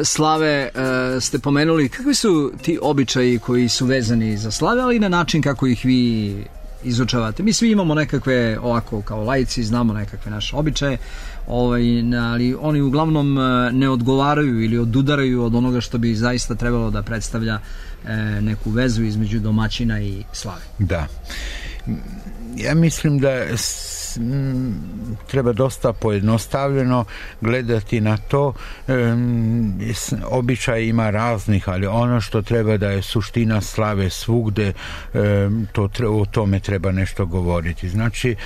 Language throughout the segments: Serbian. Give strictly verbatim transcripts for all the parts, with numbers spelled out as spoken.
Slave ste pomenuli. Kakvi su ti običaji koji su vezani za slave, ali i na način kako ih vi izučavate? Mi svi imamo nekakve, ovako kao laici, znamo nekakve naše običaje, ovaj, ali oni uglavnom ne odgovaraju ili odudaraju od onoga što bi zaista trebalo da predstavlja neku vezu između domaćina i slave. Da. Ja mislim da treba dosta pojednostavljeno gledati na to. Običaj ima raznih, ali ono što treba da je suština slave svugde, to, o tome treba nešto govoriti. Znači,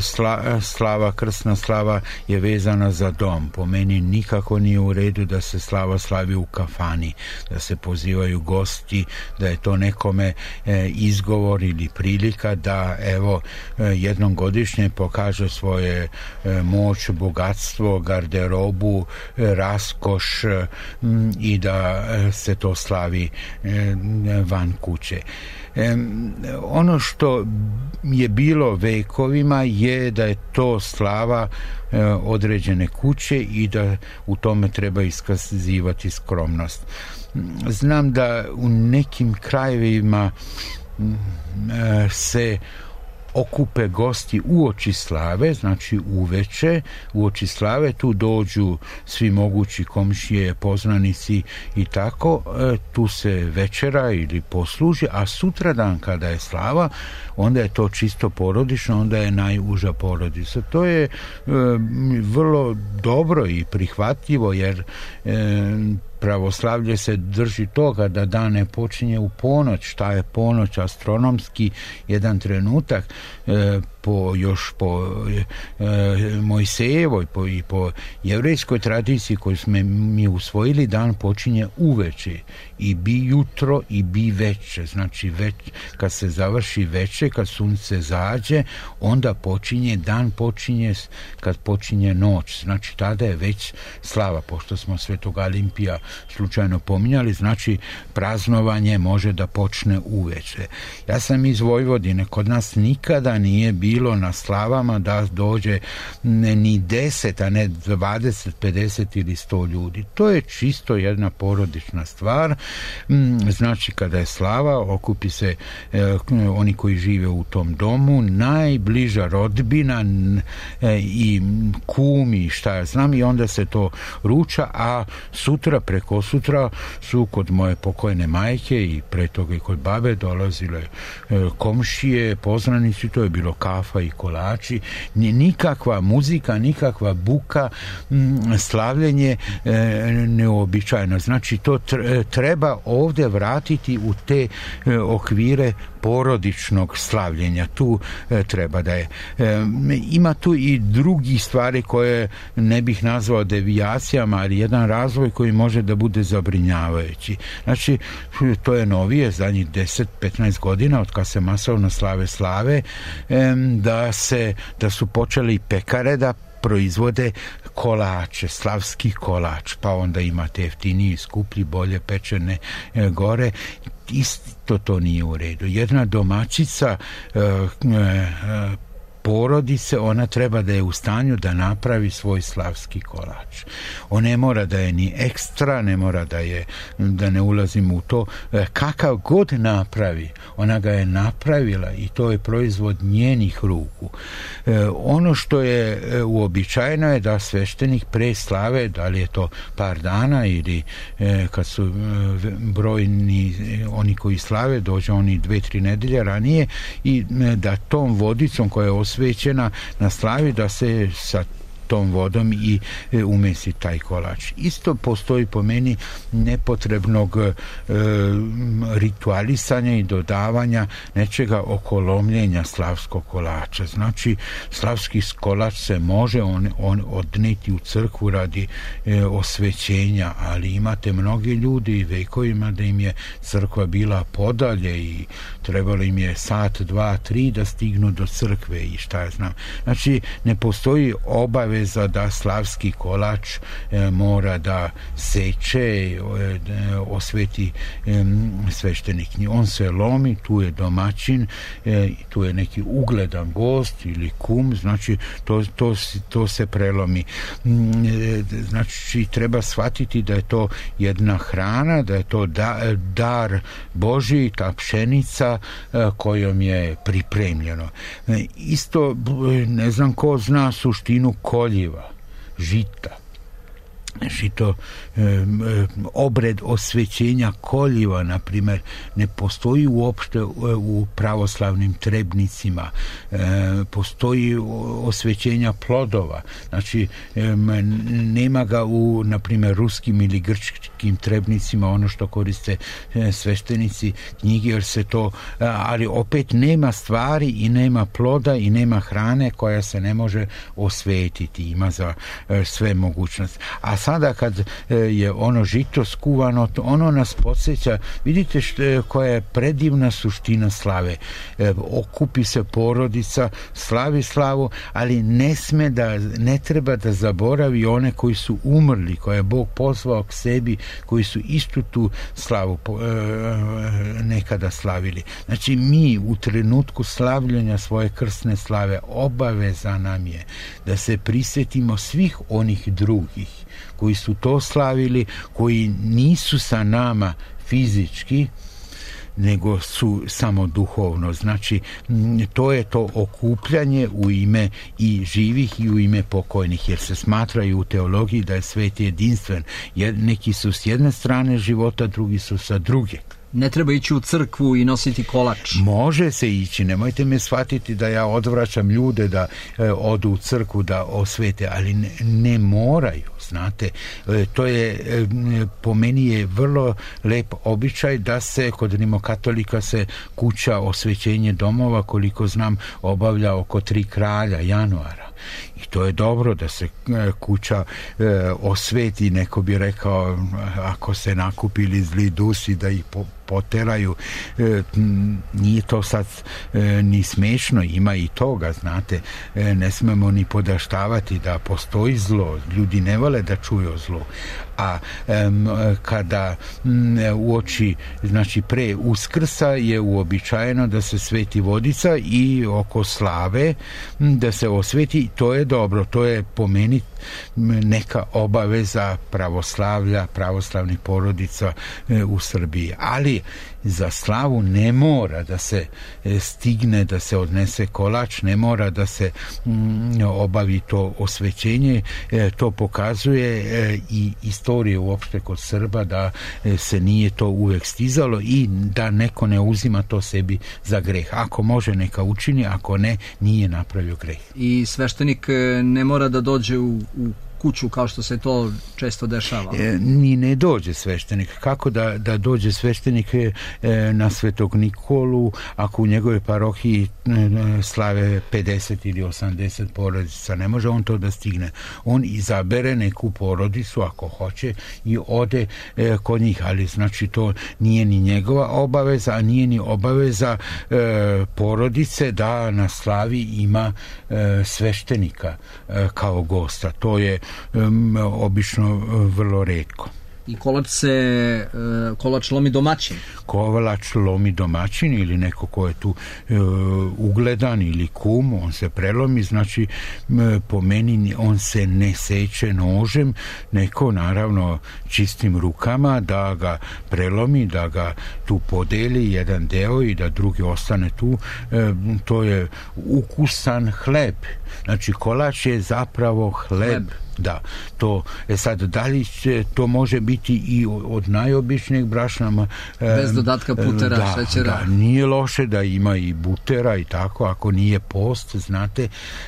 sla, slava, krsna slava je vezana za dom. Po meni nikako nije u redu da se slava slavi u kafani, da se pozivaju gosti, da je to nekome izgovor ili prilika da evo jednom godišnje pokaže svoje moć, bogatstvo, garderobu, raskoš i da se to slavi van kuće. Ono što je bilo vekovima je da je to slava određene kuće i da u tome treba iskazivati skromnost. Znam da u nekim krajevima se okupe gosti uoči slave, znači uveče, uoči slave, tu dođu svi mogući komšije, poznanici i tako, tu se večera ili posluži, a sutradan kada je slava, onda je to čisto porodično, onda je najuža porodica. To je e, vrlo dobro i prihvatljivo, jer e, pravoslavlje se drži toga da dan ne počinje u ponoć. Šta je ponoć? Astronomski jedan trenutak e, po, još po e, Mojsejevoj po, i po jevrejskoj tradiciji koju smo mi usvojili, dan počinje uveče i bi jutro i bi veče. Znači već, kad se završi veče, kad sunce zađe, onda počinje, dan počinje kad počinje noć. Znači tada je već slava, pošto smo Svetog Alimpija slučajno pominjali, znači praznovanje može da počne uveče. Ja sam iz Vojvodine, kod nas nikada nije bilo na slavama da dođe ni deset, a ne dvadeset, pedeset ili sto ljudi. To je čisto jedna porodična stvar. Znači kada je slava, okupi se eh, oni koji žive u tom domu, najbliža rodbina eh, i kumi, šta ja znam, i onda se to ruča, a sutra, preko sutra su kod moje pokojne majke i pre toga i kod babe dolazile eh, komšije, poznanici, to je bilo kafa i kolači, nikakva muzika, nikakva buka, m, slavljenje e, neobičajno. Znači to treba ovdje vratiti u te e, okvire porodičnog slavljenja. Tu e, treba da je. E, ima tu i drugih stvari koje ne bih nazvao devijacijama, ali jedan razvoj koji može da bude zabrinjavajući. Znači, to je novije, zadnjih deset do petnaest godina, od kad se masovno slave slave, e, da se, da su počeli pekare da proizvode kolače, slavski kolač, pa onda imate jeftiniji, skuplji, bolje pečene e, gore. Isto to nije u redu. Jedna domaćica e, e, porodice, ona treba da je u stanju da napravi svoj slavski kolač. On ne mora da je ni ekstra, ne mora da je, da ne ulazim u to, kakav god napravi, ona ga je napravila i to je proizvod njenih ruku. E, ono što je uobičajeno je da sveštenik pre slave, da li je to par dana ili e, kad su e, brojni oni koji slave, dođe oni dve, tri nedelje ranije i e, da tom vodicom koja je osvećena na slavi, da se sa tom vodom i e, umesi taj kolač. Isto postoji po meni nepotrebnog e, ritualisanja i dodavanja nečega oko lomljenja slavskog kolača. Znači, slavski kolač se može on, on odneti u crkvu radi e, osvećenja, ali imate mnogi ljudi i vekovima da im je crkva bila podalje i trebalo im je sat, dva, tri da stignu do crkve i šta ja znam. Znači, ne postoji obaveza obaveza da slavski kolač e, mora da seče, e, osveti e, sveštenik. On se lomi, tu je domaćin, e, tu je neki ugledan gost ili kum, znači to, to, to se prelomi. E, znači treba shvatiti da je to jedna hrana, da je to da, dar Božji, ta pšenica e, kojom je pripremljeno. E, isto, ne znam ko zna suštinu koljiva, žita. Žito, e, e, obred osvećenja koljiva, na primjer, ne postoji uopšte u pravoslavnim trebnicima. E, postoji osvećenja plodova. Znači, e, nema ga u, na primjer, ruskim ili grčkim trebnicima, ono što koriste e, sveštenici knjige, jer se to, ali opet nema stvari i nema ploda i nema hrane koja se ne može osvetiti. Ima za e, sve mogućnosti. A sada kad je ono žito skuvano, ono nas podsjeća, vidite što, koja je predivna suština slave. E, okupi se porodica, slavi slavu, ali ne sme da, ne treba da zaboravi one koji su umrli, koje je Bog pozvao k sebi, koji su istu tu slavu e, nekada slavili. Znači mi u trenutku slavljenja svoje krsne slave obaveza nam je da se prisjetimo svih onih drugih koji su to slavili, koji nisu sa nama fizički, nego su samo duhovno. Znači, to je to okupljanje u ime i živih i u ime pokojnih, jer se smatraju u teologiji da je svet jedinstven. Neki su s jedne strane života, drugi su sa druge. Ne treba ići u crkvu i nositi kolač. Može se ići, nemojte me shvatiti da ja odvraćam ljude da e, odu u crkvu da osvete, ali ne, ne moraju, znate. E, to je, e, po meni je vrlo lep običaj da se kod rimokatolika se kuća osvećenje domova, koliko znam, obavlja oko tri kralja januara. I to je dobro da se kuća e, osveti, neko bi rekao, ako se nakupili zli dusi da ih po, poteraju. E, nije to sad e, ni smešno, ima i toga, znate. E, ne smemo ni podaštavati da postoji zlo, ljudi ne vole da čuju zlo. A um, kada um, uoči, znači pre Uskrsa je uobičajeno da se sveti vodica i oko slave um, da se osveti, to je dobro, to je po meni neka obaveza pravoslavlja, pravoslavnih porodica e, u Srbiji. Ali za slavu ne mora da se e, stigne, da se odnese kolač, ne mora da se mm, obavi to osvećenje. E, to pokazuje e, i istorije uopšte kod Srba da e, se nije to uvek stizalo i da neko ne uzima to sebi za greh. Ako može, neka učini, ako ne, nije napravio greh. I sveštenik ne mora da dođe u, u kuću kao što se to često dešava. E, ni ne dođe sveštenik. Kako da, da dođe sveštenik e, na Svetog Nikolu ako u njegove parohiji e, slave pedeset ili osamdeset porodica? Ne može on to da stigne. On izabere neku porodicu ako hoće i ode e, kod njih, ali znači to nije ni njegova obaveza, a nije ni obaveza e, porodice da na slavi ima e, sveštenika e, kao gosta. To je Um, obično vrlo retko. I kolač se uh, kolač lomi domaćin. Kolač lomi domaćin ili neko ko je tu uh, ugledan ili kum, on se prelomi, znači uh, po meni on se ne seče nožem, neko naravno čistim rukama da ga prelomi, da ga tu podeli jedan deo i da drugi ostane tu. Uh, to je ukusan hleb. Znači kolač je zapravo hleb. hleb. Da, to je sad, da li će, to može biti i od najobičnijeg brašna bez dodatka putera, da, šećera. Da, nije loše da ima i butera i tako, ako nije post, znate,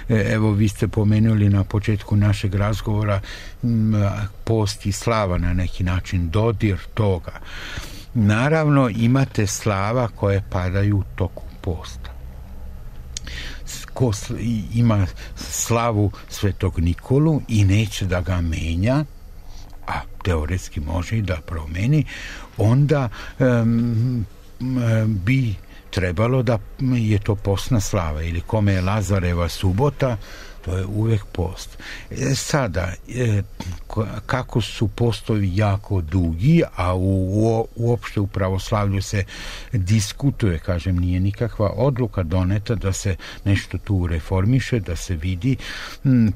evo vi ste pomenuli na početku našeg razgovora post i slava na neki način, dodir toga. Naravno imate slava koje padaju u toku posta. Ko ima slavu Svetog Nikolu i neće da ga menja, a teoretski može i da promeni, onda um, bi trebalo da je to postna slava, ili kome je Lazareva subota, To je uvek post. E, sada, e, kako su postovi jako dugi, a u, u, uopšte u pravoslavlju se diskutuje, kažem, nije nikakva odluka doneta da se nešto tu reformiše, da se vidi.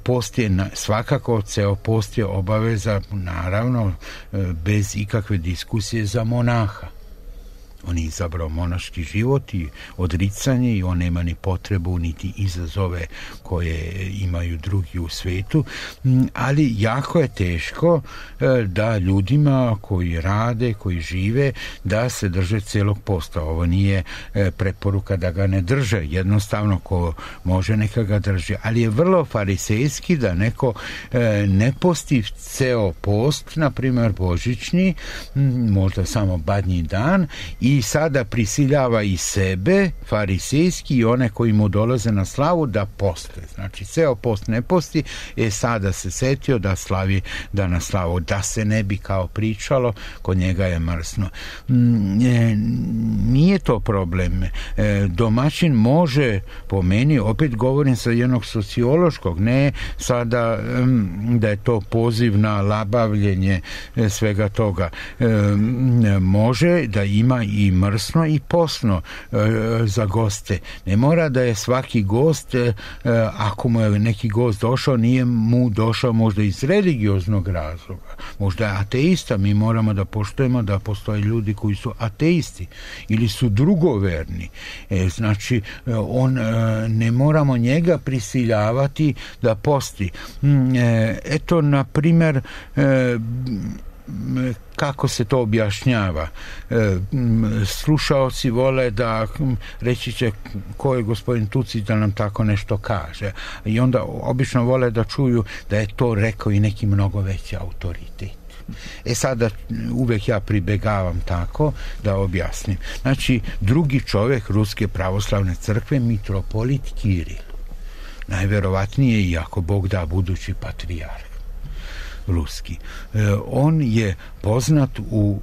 Post je, svakako, ceo post je obaveza, naravno, bez ikakve diskusije za monaha. On je izabrao monaški život i odricanje i on nema ni potrebu niti izazove koje imaju drugi u svetu, ali jako je teško da ljudima koji rade, koji žive, da se drže celog posta. Ovo nije preporuka da ga ne drže, jednostavno ko može neka ga drži, ali je vrlo farisejski da neko ne posti ceo post, na primjer božićni, možda samo badnji dan, i sada prisiljava i sebe, farisejski, i one koji mu dolaze na slavu da poste. Znači, ceo post ne posti, je sada se setio da slavi da na slavu, da se ne bi kao pričalo, kod njega je mrsno. Nije to problem. Domaćin može, po meni, opet govorim sa jednog sociološkog, ne sada da je to poziv na labavljenje svega toga. Može da ima i mrsno i posno e, za goste. Ne mora da je svaki gost, e, ako mu je neki gost došao, nije mu došao možda iz religioznog razloga. Možda je ateista, mi moramo da poštujemo da postoje ljudi koji su ateisti ili su drugoverni. E, znači, on, e, ne moramo njega prisiljavati da posti. E, eto, na primjer, e, kako se to objašnjava. E, slušaoci vole da reći će ko je gospodin Tucić da nam tako nešto kaže. I onda obično vole da čuju da je to rekao i neki mnogo veći autoritet. E sada uvek ja pribegavam tako da objasnim. Znači, drugi čovjek Ruske pravoslavne crkve, mitropolit Kiril. Najverovatnije, i ako Bog da, budući patrijarh ruski. On je poznat u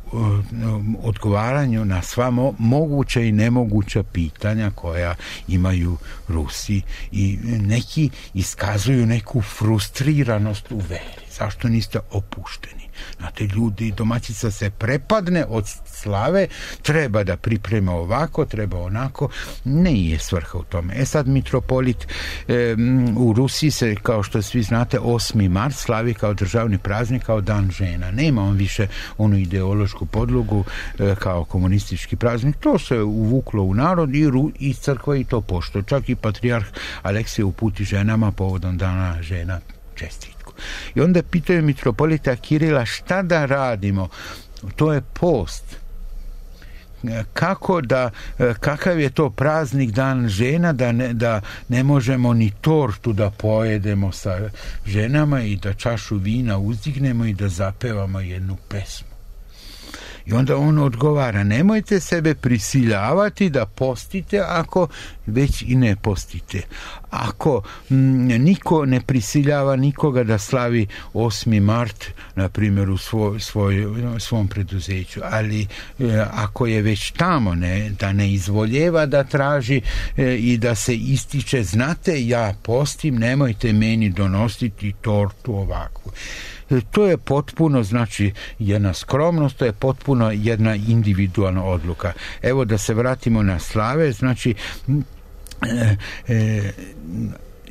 odgovaranju na sva moguća i nemoguća pitanja koja imaju Rusi, i neki iskazuju neku frustriranost u veri. Zašto niste opušteni? Znate, ljudi, domaćica se prepadne od slave, treba da priprema ovako, treba onako, ne je svrha u tome. E sad, mitropolit e, u Rusiji se, kao što svi znate, osmi mart slavi kao državni praznik, kao dan žena. Nema on više onu ideološku podlogu e, kao komunistički praznik. To se uvuklo u narod i, Ru, i crkva i to poštuje. Čak i patrijarh Aleksije uputi ženama povodom dana žena čestitku. I onda pitaju mitropolita Kirila šta da radimo. To je post. Kako da, kakav je to praznik dan žena da ne, da ne možemo ni tortu da pojedemo sa ženama i da čašu vina uzdignemo i da zapevamo jednu pesmu. I onda on odgovara, nemojte sebe prisiljavati da postite ako već i ne postite. Ako m, niko ne prisiljava nikoga da slavi osmi mart, na primjer u svoj, svoj, svom preduzeću, ali e, ako je već tamo, ne, da ne izvoljeva da traži e, i da se ističe, znate, ja postim, nemojte meni donositi tortu ovakvu. To je potpuno, znači, jedna skromnost, to je potpuno jedna individualna odluka. Evo da se vratimo na slave, znači e, e,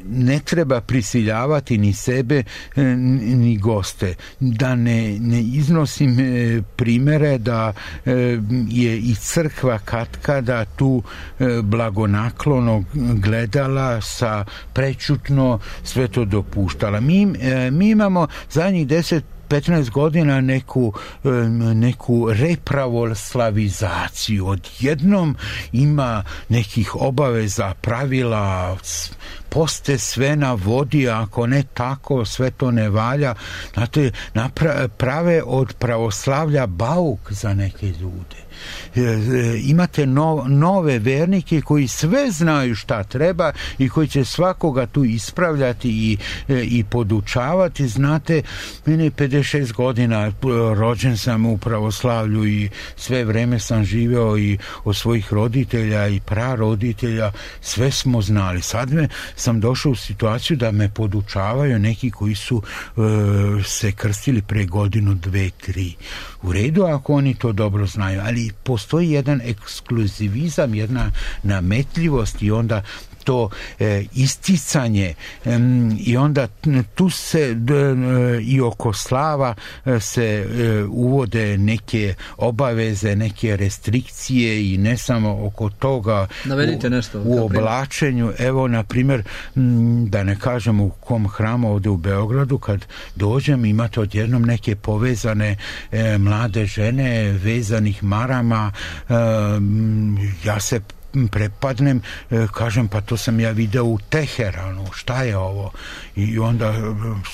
ne treba prisiljavati ni sebe ni goste. Da ne, ne iznosim primere da je i crkva katkada tu blagonaklono gledala, sa prečutno sve to dopuštala. Mi, mi imamo zadnjih deset petnaest godina neku, neku repravoslavizaciju. Odjednom ima nekih obaveza, pravila, poste sve na vodi, ako ne tako, sve to ne valja. Znate, prave od pravoslavlja bauk za neke ljude. Imate no, nove vernike koji sve znaju šta treba i koji će svakoga tu ispravljati i, i podučavati. Znate, mene je pedeset šest godina, rođen sam u pravoslavlju i sve vreme sam živeo i od svojih roditelja i praroditelja, sve smo znali. Sad me, sam došao u situaciju da me podučavaju neki koji su e, se krstili pre godinu, dve, tri. U redu ako oni to dobro znaju, ali postoji jedan ekskluzivizam, jedna nametljivost i onda to e, isticanje e, i onda tu se d, e, i oko slava e, se e, uvode neke obaveze, neke restrikcije i ne samo oko toga. Navedite nešto. U, u oblačenju, evo na primjer, m, da ne kažem u kom hramu ovdje u Beogradu, kad dođem imate odjednom neke povezane e, mlade žene vezanih marama, e, ja se prepadnem, kažem pa to sam ja video u Teheranu, šta je ovo? I onda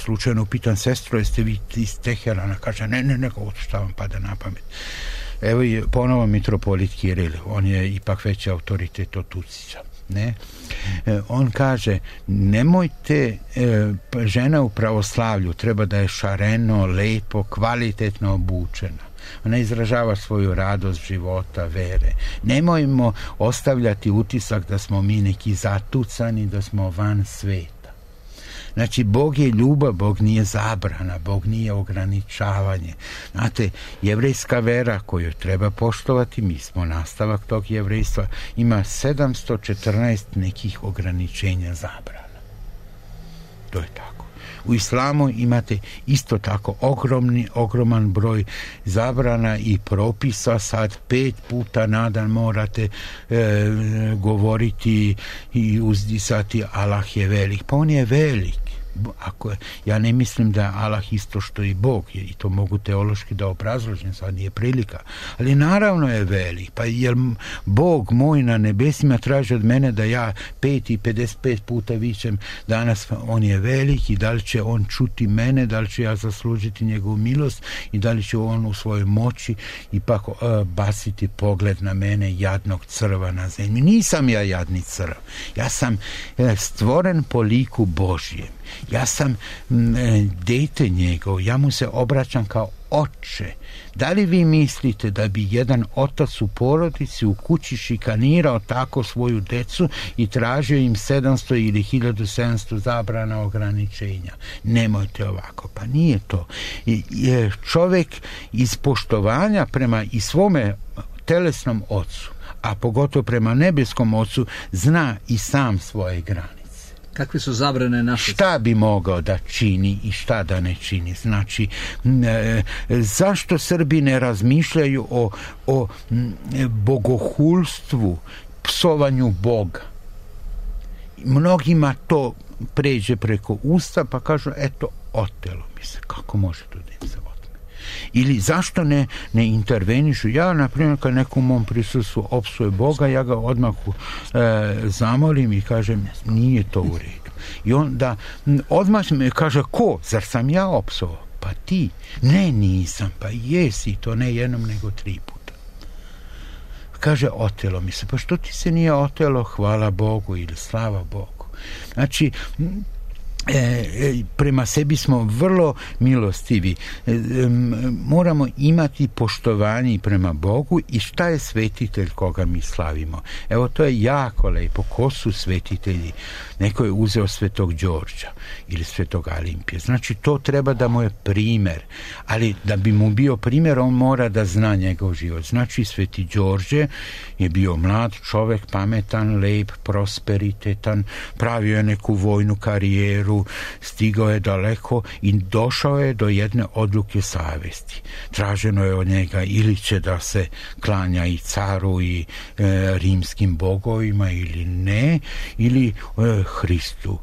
slučajno pitan sestro, jeste vi iz Teherana? Kaže ne, ne, ne, šta vam pada na pamet. Evo je ponovo mitropolit Kiril, on je ipak veći autoritet od Tucića. Ne? E, on kaže nemojte, e, žena u pravoslavlju treba da je šareno, lepo, kvalitetno obučena. Ona izražava svoju radost života, vere. Nemojmo ostavljati utisak da smo mi neki zatucani, da smo van sveta. Znači, Bog je ljubav, Bog nije zabrana, Bog nije ograničavanje. Znate, jevrejska vera koju treba poštovati, mi smo nastavak tog jevrejstva, ima sedamsto četrnaest nekih ograničenja zabrana. To je tako. U islamu imate isto tako ogromni, ogroman broj zabrana i propisa. Sad pet puta na dan morate e, govoriti i uzdisati Allah je velik. Pa on je velik. Ako, ja ne mislim da je Allah isto što i Bog je, i to mogu teološki da obrazložim, sad nije prilika, ali naravno je velik. Pa jer Bog moj na nebesima traži od mene da ja pet i pedeset pet puta vičem danas on je velik i da li će on čuti mene, da li će ja zaslužiti njegovu milost i da li će on u svojoj moći ipak uh, basiti pogled na mene, jadnog crva na zemlji. Nisam ja jadni crv, ja sam uh, stvoren po liku Božjem. Ja sam m, dete njegov, ja mu se obraćam kao oče. Da li vi mislite da bi jedan otac u porodici u kući šikanirao tako svoju decu i tražio im sedamsto ili hiljadu sedamsto zabrana ograničenja? Nemojte ovako, pa nije to. I, je čovjek iz poštovanja prema i svome telesnom ocu, a pogotovo prema nebeskom ocu, zna i sam svoje granice. Kakve su zabrane naše? Šta bi mogao da čini i šta da ne čini? Znači, e, zašto Srbi ne razmišljaju o, o bogohulstvu, psovanju Boga? Mnogima to pređe preko usta pa kažu, eto, otelo mi se. Kako može to da im se otme? Ili zašto ne, ne intervenišu? Ja, na primjer, kad nekom mom prisustvu opsuje Boga, ja ga odmah e, zamolim i kažem, nije to u redu. I onda odmah me kaže, ko? Zar sam ja opsovao? Pa ti. Ne, nisam. Pa jesi, to ne jednom nego tri puta. Kaže, otelo mi se. Pa što ti se nije otelo? Hvala Bogu ili slava Bogu. Znači, E, prema sebi smo vrlo milostivi. E, moramo imati poštovanje prema Bogu i šta je svetitelj koga mi slavimo. Evo, to je jako lepo. Ko su svetitelji? Neko je uzeo svetog Đorđa ili svetog Alimpije. Znači, to treba da mu je primjer. Ali da bi mu bio primjer, on mora da zna njegov život. Znači, sveti Đorđe je bio mlad čovjek, pametan, lep, prosperitetan, pravio je neku vojnu karijeru, stigao je daleko i došao je do jedne odluke savjesti. Traženo je od njega ili će da se klanja i caru i e, rimskim bogovima ili ne, ili e, Hristu.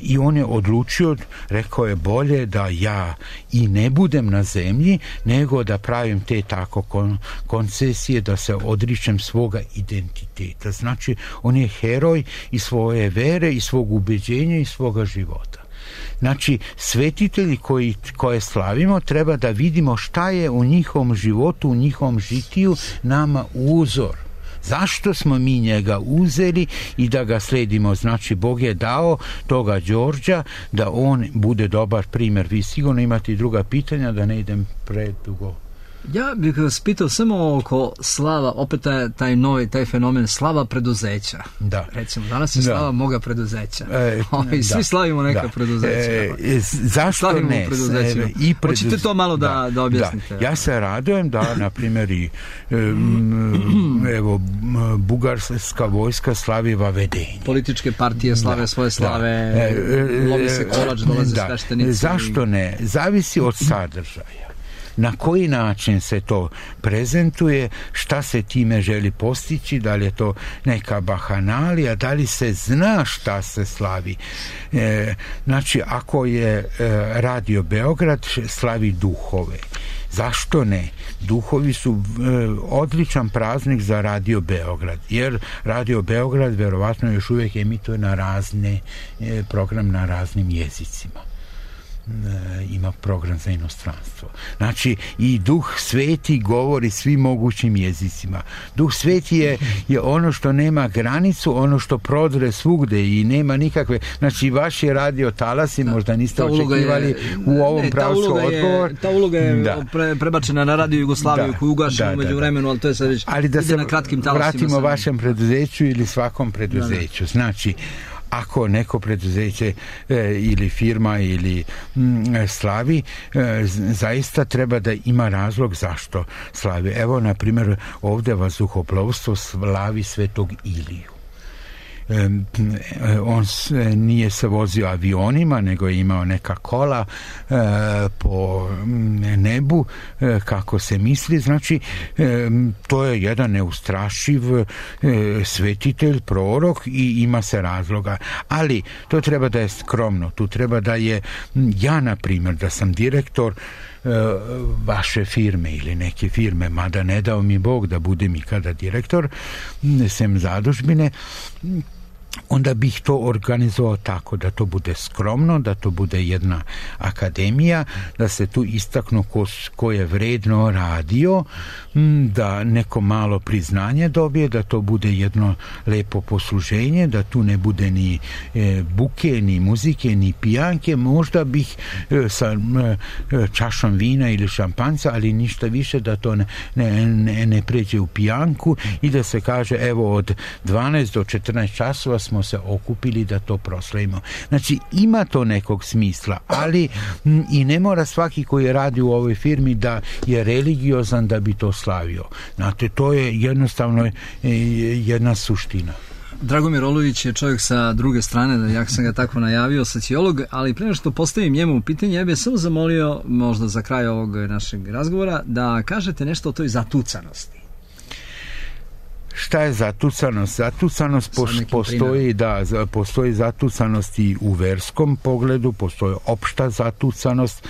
I on je odlučio, rekao je bolje da ja i ne budem na zemlji, nego da pravim te tako kon, koncesije, da se odričem svoga identiteta. Znači, on je heroj i svoje vere i svog ubeđenja i svoga života. Znači, svetitelji koji, koje slavimo, treba da vidimo šta je u njihovom životu, u njihovom žitiju nama uzor. Zašto smo mi njega uzeli i da ga sledimo? Znači, Bog je dao toga Đorđa da on bude dobar primjer. Vi sigurno imate i druga pitanja, da ne idem predugo. Ja bih vas pitao samo oko slava, opet taj, taj novi, taj fenomen slava preduzeća. Da. Recimo, danas je slava da. moga preduzeća. E, I svi da. slavimo neka da. preduzeća. E, zašto slavimo ne? E, I preduz... Hoćete to malo da, da, da objasnite? Da. Ja se radujem da, na primjer, i um, evo, bugarska vojska slavi vavedenje. Političke partije slave da. svoje slave, e, lovi se kolač, dolaze da. sveštenici. Zašto ne? Zavisi od sadržaja. Na koji način se to prezentuje, šta se time želi postići, da li je to neka bahanalija, da li se zna šta se slavi. E, znači, ako je e, Radio Beograd, slavi duhove. Zašto ne? Duhovi su e, odličan praznik za Radio Beograd, jer Radio Beograd verovatno još uvijek emituje na razne e, program na raznim jezicima. Ima program za inostranstvo. Znači, i Duh Sveti govori svim mogućim jezicima. Duh Sveti je, je ono što nema granicu, ono što prodre svugde i nema nikakve, znači vaši radio talasi da, možda niste očekivali je, u ovom ne, pravcu odgovor. Je, ta uloga je da. pre, prebačena na Radio Jugoslaviju da, koju ugašeno da, umeđu da, vremenu, ali to je sad već ali da se na kratkim talasima. Vratimo sam... vašem preduzeću ili svakom preduzeću. Da, da. Znači, ako neko preduzeće e, ili firma ili m, slavi, e, zaista treba da ima razlog zašto slavi. Evo, na primjer, ovdje vazduhoplovstvo slavi Svetog Iliju. E, on nije se vozio avionima, nego je imao neka kola e, po nebu, e, kako se misli. Znači, e, to je jedan neustrašiv e, svetitelj, prorok i ima se razloga. Ali to treba da je skromno. Tu treba da je, ja na primjer, da sam direktor vaše firme ili neke firme, mada ne dao mi Bog da budem ikada direktor, sem zadužbine, onda bih to organizovao tako da to bude skromno, da to bude jedna akademija, da se tu istaknu ko, ko je vredno radio, da neko malo priznanje dobije, da to bude jedno lepo posluženje, da tu ne bude ni e, buke, ni muzike, ni pijanke. Možda bih e, sa e, čašom vina ili šampanjca, ali ništa više, da to ne, ne, ne, ne pređe u pijanku i da se kaže, evo, od dvanaest do četrnaest časova smo se okupili da to proslavimo. Znači, ima to nekog smisla, ali m, i ne mora svaki koji radi u ovoj firmi da je religiozan da bi to slavio. Znate, to je jednostavno e, jedna suština. Dragomir Olović je čovjek sa druge strane, jak sam ga tako najavio, sociolog, ali prije što postavim njemu pitanje, ja bih samo zamolio, možda za kraj ovog našeg razgovora, da kažete nešto o toj zatucanosti. Šta je zatucanost? Zatucanost postoji, da, postoji zatucanost i u verskom pogledu, postoji opšta zatucanost.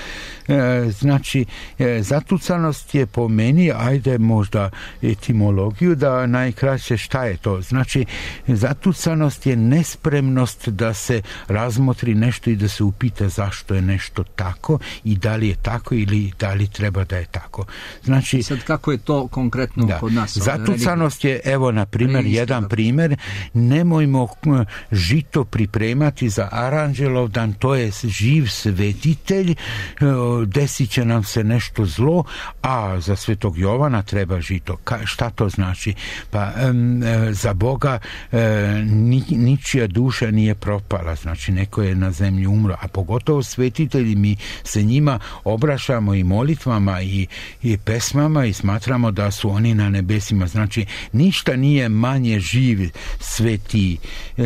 E, znači, e, zatucanost je po meni, ajde možda etimologiju, da najkraće šta je to? Znači, zatucanost je nespremnost da se razmotri nešto i da se upita zašto je nešto tako i da li je tako ili da li treba da je tako. Znači, sad kako je to konkretno da, kod nas? Zatucanost je, evo, na primjer, jedan primjer, nemojmo žito pripremati za Aranđelovdan, to je živ svetitelj, desit će nam se nešto zlo, a za Svetog Jovana treba žito. Ka, šta to znači? Pa um, za Boga um, ni, ničija duša nije propala, znači neko je na zemlji umro, a pogotovo svetitelji, mi se njima obraćamo i molitvama i, i pesmama i smatramo da su oni na nebesima. Znači, ništa nije manje živ sveti e,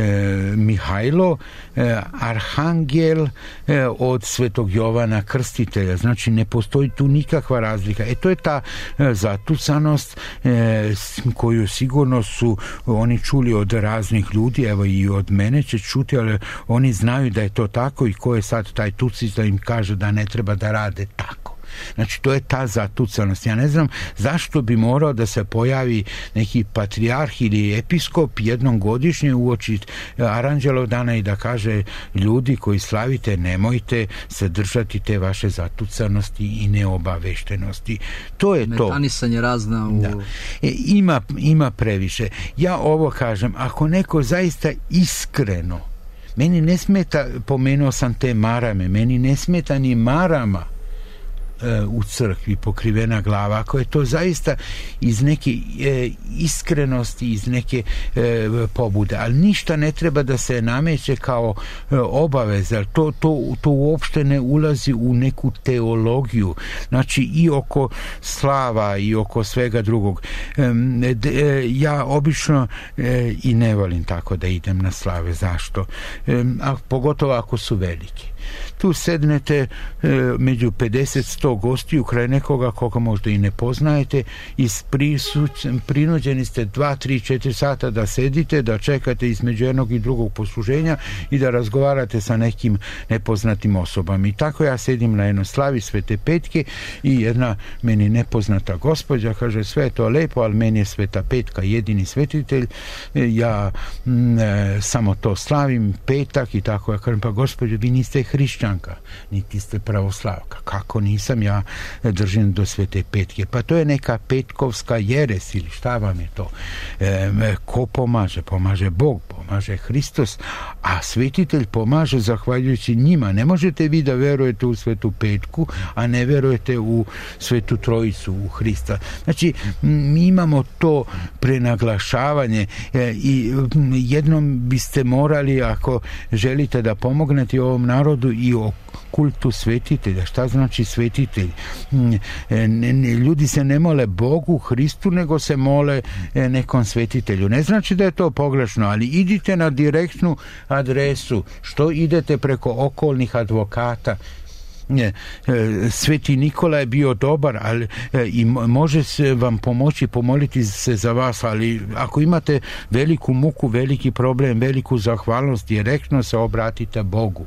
Mihajlo, e, arhangel e, od Svetog Jovana Krstitelja. Znači, ne postoji tu nikakva razlika. E, to je ta e, zatucanost e, koju sigurno su oni čuli od raznih ljudi, evo i od mene će čuti, ali oni znaju da je to tako i ko je sad taj tucić da im kaže da ne treba da rade tako. Znači, to je ta zatucanost. Ja ne znam zašto bi morao da se pojavi neki patrijarh ili episkop jednom godišnje uoči Aranđelov dana i da kaže ljudi koji slavite, nemojte se držati te vaše zatucanosti i neobaveštenosti. To je to. Metanisanje razna u... Da. E, ima, ima previše. Ja ovo kažem, ako neko zaista iskreno, meni ne smeta, pomenuo sam te marame, meni ne smeta ni marama e, u crkvi pokrivena glava, ako je to zaista iz neke e, iskrenosti, iz neke e, pobude, ali ništa ne treba da se nameće kao e, obaveza, to, to, to uopšte ne ulazi u neku teologiju, znači i oko slava i oko svega drugog. E, e, ja obično e, i ne volim tako da idem na slave. Zašto? E, a pogotovo ako su veliki. Tu sednete e, među pedeset sto gostiju kraj nekoga koga možda i ne poznajete i prinuđeni ste dva, tri, četiri sata da sedite, da čekate između jednog i drugog posluženja i da razgovarate sa nekim nepoznatim osobama. I tako ja sedim na jednoj slavi Svete Petke i jedna meni nepoznata gospođa kaže, sve je to lepo, ali meni je Sveta Petka jedini svetitelj, ja m, e, samo to slavim, petak i tako. Ja kažem, pa gospođo, vi niste hrišćanka, niti ste pravoslavka. Kako nisam, ja držim do Svete Petke? Pa to je neka petkovska jeres ili šta vam je to? E, ko pomaže? Pomaže Bog, pomaže Hristos, a svetitelj pomaže zahvaljujući njima. Ne možete vi da verujete u Svetu Petku, a ne verujete u Svetu Trojicu, u Hrista. Znači, mi imamo to prenaglašavanje e, i jednom biste morali, ako želite da pomognete ovom narodu, i o kultu svetitelja. Šta znači svetitelj? Ne, ne, ljudi se ne mole Bogu, Hristu, nego se mole nekom svetitelju. Ne znači da je to pogrešno, ali idite na direktnu adresu. Što idete preko okolnih advokata? Ne, Sveti Nikola je bio dobar, ali i može se vam pomoći, pomoliti se za vas, ali ako imate veliku muku, veliki problem, veliku zahvalnost, direktno se obratite Bogu.